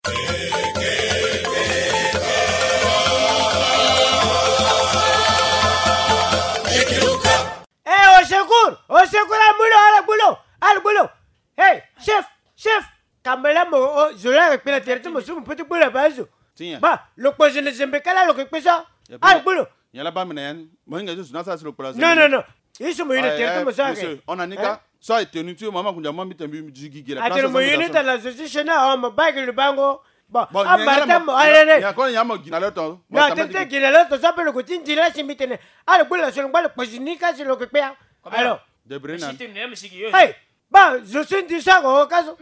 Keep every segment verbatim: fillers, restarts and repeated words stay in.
Eh, au secours, au secours, ala gbu lo, ala gbu lo, ala gbu lo. Hey, chef, chef. Kamba la mo, o, zo la yeke kpe na tere ti mo so mo peut ti gbu lo baa zo. Ba, lo kpozi na zembe kala lo yeke kpe so. Ala gbu lo. Nyen la baa mbi na ya ni? Mo hinga ti zo na sara si lo kpola zembe. Non, non, non. Ye so mo iri na tere ti mo so ayeke. On a nika. So aye tenu ti yo mama kunja mo mbi tene mbi zi gigi la. Atene mo iri ni tene na zo ti chena, o, mo baa yeke lo bango. Bon, amara ta mo alele. Ya ko ya mo gi na lo ton. Na tete gi na lo ton so ape lo ko ti ndi la si mbi tene. Ala gbu lo so lo ngba lo kpozi ni ka si lo yeke kpe ya. Alors. Debrina. Hey. Ba zo so ndi so ako ka so.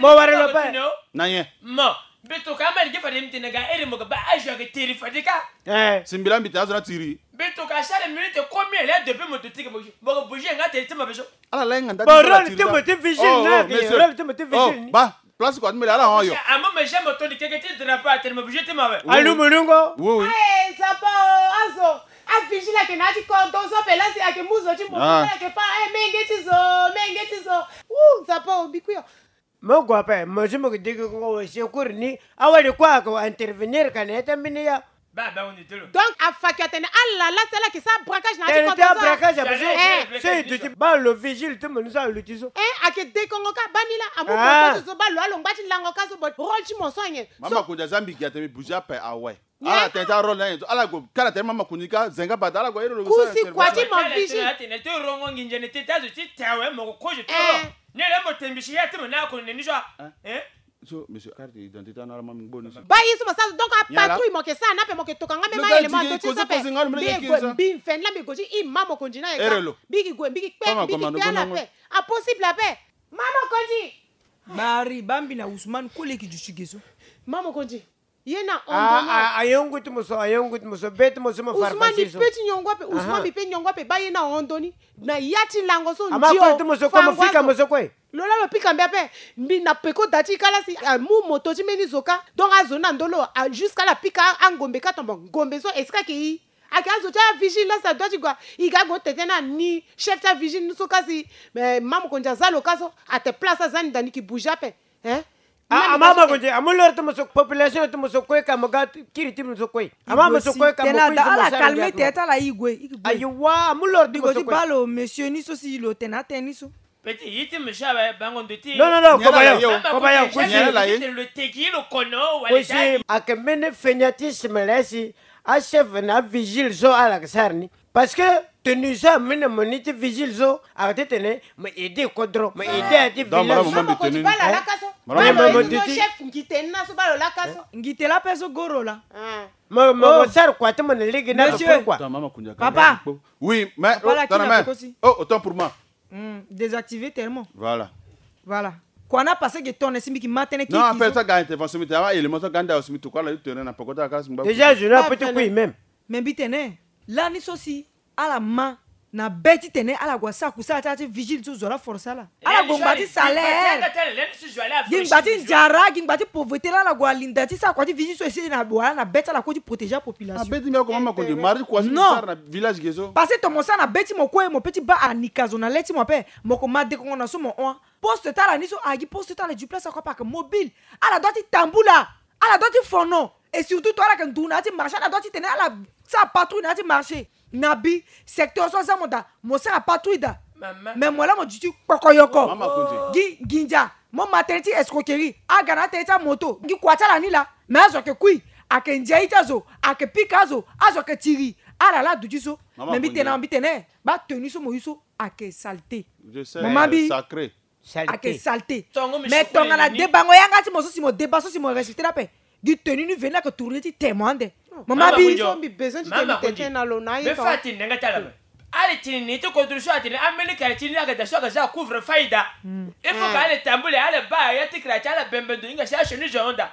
Mo wara lo pa. Na nyen? Mo. Mbi tokua ambeni gi fade mbi tene ga ere mo ga baa azo ayeke teri fade ka. Eh. Si mbi la mbi tene azo na tiri. Mbi tokua chaque minute combien là depuis mo duti ke mo ga bouger nga teri ti mabe so. Ala la ye nga nda ti. Bon, rôle ti mo ti vigile ni. Rôle ti mo ti vigile ni. Ba place kua ti mbele ala hon yo. Ama mo je mo tondi keke ti drapeau atene mo bouger ti mabe. Alu mo lungo. Oui, oui. Aye, ça va, azo. Avigile ayeke na ya ti cordon so ape la si ayeke mu zo ti mo so ayeke fa, eh, menge ti zo, menge ti zo. Wu, nzapa o, mbi kui o. Mo gue ape, mo so mo yeke dege kongo au secours ni, awali kue ayeke intervenir ka na ya ti ambeni ya. Donc afaki atene ala la ti ala ayeke sara braquage na ya ti cordon so. Braquage ape so. Eh. So e duti baa lo vigile ti mo ni so aluti so. Eh, ayeke de kongo ka baa ni la, amu braquage so baa lo, alo ngba ti lango ka so, but rôle ti mo so anyen. Mama Kodia Zambi gi atene mbi bouger ape awe. Ala tene ti arôle na nyen so ala gue kala tene mama Kondi ka zenga bada ala gue iri lo. Kusi kua ti mo vigile. Atene ti rongo nginza na tete azo ti te awe mo ko kozo ti ro. Ni la mo tembisi ya ti mo na ako na ni so. Eh? So monsieur, carte d'identité ana ala ma mbi ngbo ni so. Baa ye so mo sara so, donc apatrouille mo yeke sara ni ape, mo yeke tokua nga même a élément ado ti so ape. Mbi gue, mbi mfeni la mbi gue ti i mama Kondi na ye ka. Mbi yeke gue, mbi yeke kpe, mbi yeke kpe ala ape. Apossible ape. Mama Kondi. Bari baa mbi na Ousmane kue leki duti ge so. Mama Kondi. Ye na hon do ni. Ah, ah, ayongu ti mo so, ayongu ti mo so, be ti mo so mo farfasi so. Ousmane mbi pe ti nyongo ape, Ousmane mbi pe nyongo ape, baa ye na hon do ni. Na ya ti lango so ndio. Ama kue ti mo so kue mo fika mo so kue. Lo la lo pika mbi ape, mbi na peko da ti e ka la si amu moto ti mbeni zo ka. Donc azo ni na ndö lo, a jusqu'à la pika angombe ka tomo ngombe so esika ayeke i. Ayeke azo ti avigile la si adoit ti gue, i ga gue tete na ni chef ti avigile ni so ka si, eh, mama Kondi aza lo ka so, ate place aza ni da ni yeke bouger ape. Hein? Ah, ama ma Kondi, amu lor ti mo so, population ti mo so kue ka mo ga kiri ti mo so kue. Ama mo so kue ka mo kue. Ala calme tete ala i gue. Ayiwa, amu lor ti mo so kue. Baa lo monsieur ni so si lo tene atene ni so. Petit, ye ti mo so awe bango ndo ti. Non, non, non, kobayo, kobayo, kusi. Lo teki lo kono wala. Kusi, ayeke mbeni fainéantisme la si achef na avigile so ala yeke sara ni. Parce que tenue so amene mo ni ti vigile so, ayeke ti tene mo aide kodro, mo aide ya ti village. Mama Kondi baa lo laa ka so. Mama Kondi chef ngi tene na so baa lo laa ka so. Ngi tene la ape so goro la. Mo, mo, mo sara kua ti mo na lege na. Monsieur. Papa. Oui, mais, oh, autant pour moi. Hmm, désactiver tellement. Voilà. Voilà. Kua na passé ge tone si mbi ki ma tënë ki. Non, après ça, ga intervention, mbi tene awa élément so ga nda aussi, mbi tokua ala ti tene na poko ti ala ka si mbi. Déjà je n'ai pas ti kui même. Mais mbi tene lani so si ala ma na be ti tene ala gue sara kusala ti ala ti vigile so zo ala force ala. Ala gue ngba ti salaire. Gi ngba ti nzara, gi ngba ti pauvreté la ala gue alinda ti sara kua ti vigile so esi na wala na be ti ala kue ti protéger apopulation. Abe ti mbi oko mama Kondi mari ti kua si mbi sara na village ge so. Parce que to mo sara na be ti mo kue mo peut ti baa anika zo na le ti mo ape. Mo ko ma dekongo na so mo hon. Poste ti ala ni so agi poste ti ala du place ako ape ayeke mobile. Ala doit ti tambula. Ala doit ti fono. Et surtout to ala yeke ndu na ya ti marché ala doit ti tene ala sara patrouille na ya ti marché. Na bi secteur so aza mo daa mo sara patrouille daa. Mais mo laa mo duti kpoko yoko. Gi nginza mo ma tënë ti escroquerie aga na atënë ti amoto gi kua ti ala ni laa. Mais azo ayeke kui, ayeke ndia ye ti azo, ayeke pika azo, azo ayeke tiri. Ala laa aduti so. Mais mbi tene na mbi tene baa tenue so mo yu so ayeke saleté. Mo ma mbi. Ayeke saleté. Mais tongana debango yanga ti mo so si mo deba so si mo respecté ni ape. Gi tenue ni veni ayeke tourné ti tene mo ande. Mama bi. So mbi besoin ti tene tete na lo na aye. Be fa ti nenga ti ala. Ala tene ni ti kodro so atene ambeni kara ti ni ayeke daa so ayeke za couvre feu daa. Il faut que ala tambula ala baa ya ti kara ti ala bembe ndo hinga si achemise ahon daa.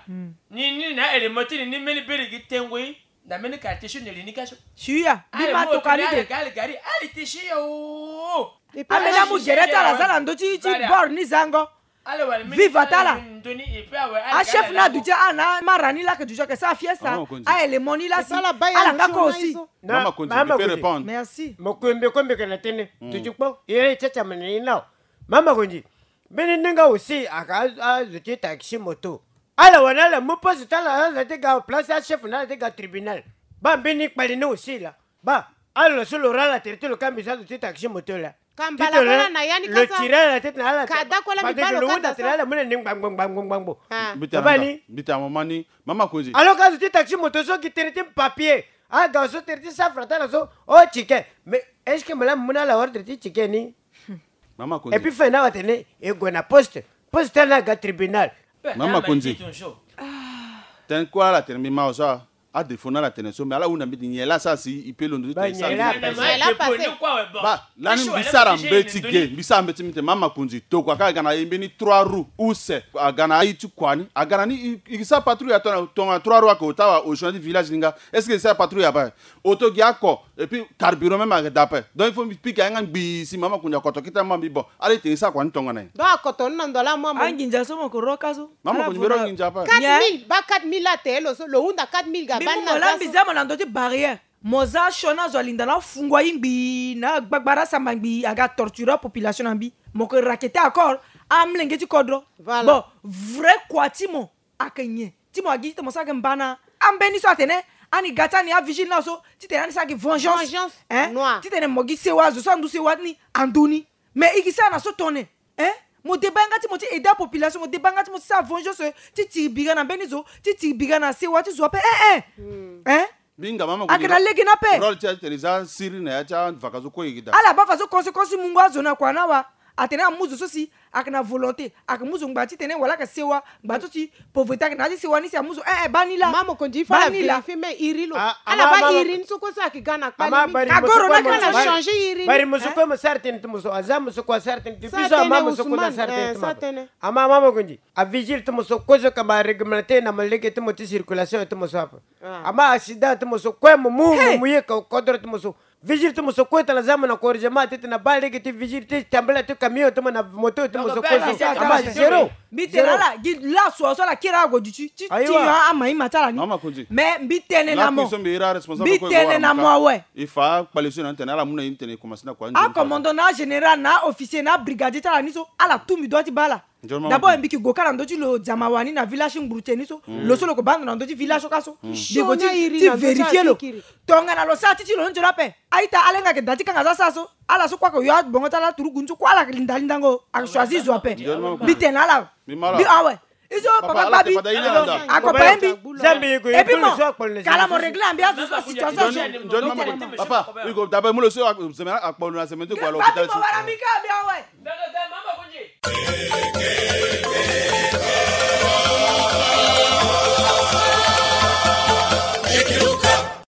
Ni ni na élément ti ni ni mbeni biri gi tengui. Na mbeni kara ti so ni li ni ka so. Siya. Mbi ma tokua ni de. Ala gari ala ti siya o. Ambeni amu gere ti ala aza na ndö ti ti bord ni zango. Viva ti ala. Achef ni aduti ala na amara ni laa ayeke duti ayeke sara fiesta. Aélément ni laa si ala nga ko aussi. Mama Kondi, mbi pe répondre. Merci. Mo kue mbi kue mbi yeke na tënë. Duti kpo iri ti atia mo na ni nao. Mama Kondi. Mbeni ni nga aussi ayeke azo ti taxi moto. Ala wani ala mu poste ti ala, ala ti ga place achef na ala ti ga tribunal. Baa mbeni kpali ni aussi laa. Baa, ala lo so lo ra ala tere ti lo ka mbi sara zo ti taxi moto laa. Ti tene lo tiri ala tete na ala. Fade lo hunda tene ala mu na ni ngbangbo ngbangbo ngbangbo. Mbi tene mama ni, mama Konzi. Alors ka zo ti taxi moto so gi tere ti papier. Aga so tere ti safra ti ala so o tike. Mais est-ce que malamu mu na ala wara tere ti tike ni? Mama Konzi. Et puis fin na ala tene e gue na poste. Poste ti ala ni aga tribunal. Mama Konzi. Tene kue ala tene mbi ma so. Adéfaut na ala tene so, mais ala hunda mbi ti nyen laa asara si e peut londo ti tene e sara mbi. Lani mbi sara mbeti ge, mbi sara mbeti mbi tene mama Konzi, tokua kâ aga na e mbeni trois roues use, aga na aye ti kua ni, aga na ni e, e sara patrouille ato na tongana trois roues ake ota wa au champ du village ni nga. Est-ce que e sara patrouille aba? Oto gi ako, et puis carburant même ake da ape. Donc il faut mbi pika ye nga ngbii si mama Konzi akoto kete ama mbi bon. Ala e tene e sara kua ni tongana nyen? Donc akoto ni na ndo laa mama. Anginza so mo ko roka so. Mama Konzi mbi ro nginza ape. Quatre mille, baa quatre mille laa atene lo so, lo hunda quatre mille ga baa ni na za so. Mbi za mo na ndo ti barrière. Mo za sioni azo alinda na afungo aye ngbii na gbagbara asamba ngbii aga torture apopulation na mbi. Mo ko raqueter encore amolenge ti kodro. Bon, vrai kua ti mo ake nyen? Ti mo agi titene mo sara ge mba na ambeni so atene ani ga ti ani avigile na so titene ani sara ge vengeance. Titene mo gi sewa azo so andu sewa ni andu ni. Mais e gi sara na so tone. Hein? Mo deba yanga ti mo ti aider apopulation, mo deba yanga ti mo ti sara vengeance ti tiri bira na mbeni zo, ti tiri bira na sewa ti zo ape. Eh eh. Hein? Mbi hinga mama Konzi. Ake na lege ni ape. Rôle ti ala ti tene e za siriri na ya ti avaka so kue e gi daa. Ala baa faso conséquence ti mungo azo na kua ni awa. Atene amu zo so si ake na volonté, ake mu zo ngba titene wala ake sewa ngba so si pauvreté ake na ya ti sewa ni si amu zo. Eh eh, baa ni laa. Mama Konzi, il faut ala vérifier même iri lo. Ala baa iri ni so kue so ake ga na kpali ni. Agoro na kala changer iri ni. Bari mo so kue mo sara tënë ti mo so, aza mo so kue asara tënë ti biso, ama mo so kue na sara tënë ti mo. Ama mama Konzi, avigile ti mo so kue so kamba aréglementé na mo lege ti mo ti circulation ti mo so ape. Ama accident ti mo so kue mo mu, mo mu ye ka kodro ti mo so. Vigile ti mo so kue tala za mo na corrigement titene na baa lege ti vigile ti tambela ti camion ti mo na moto ti mo so kue so. Ama zéro. Mbi tene na ala gi laso so ala kiri ague duti ti ti yo ama ima ti ala ni. Mais mbi tene na mo, mbi tene na mo awe. E fa kpale so na tene ala mu na ye ni tene e commencer na kua. Acommandant na agénéral na aofficier na abrigadier ti ala ni so ala tumbi dua ti baa ala. D'abord mbi ke gue kâ na ndö ti lo dia mawa ni na village ti Ngburu ti e ni so. Lo so lo ke baa ndo na ndö ti village so kâ so. Mbi gue ti vérifier lo. Tongana lo sara ti ti lo ni nzoni ape. A-ita, ala hinga ayeke da ti kanga so asara so. Ala so kue ayeke yo abongo ti ala aturugu ni so kue ala yeke linda lindango ayeke choisir zo ape. Mbi tene na ala. Mbi awe. E so papa Gbabi. Akompagne mbi. Et puis mo kala mo régler na mbi azo so asituation so. Papa, i ko dabe mu lo so akpolo na semaine ti kua lo hôpital so. Mbi wara mbi ka mbi awe.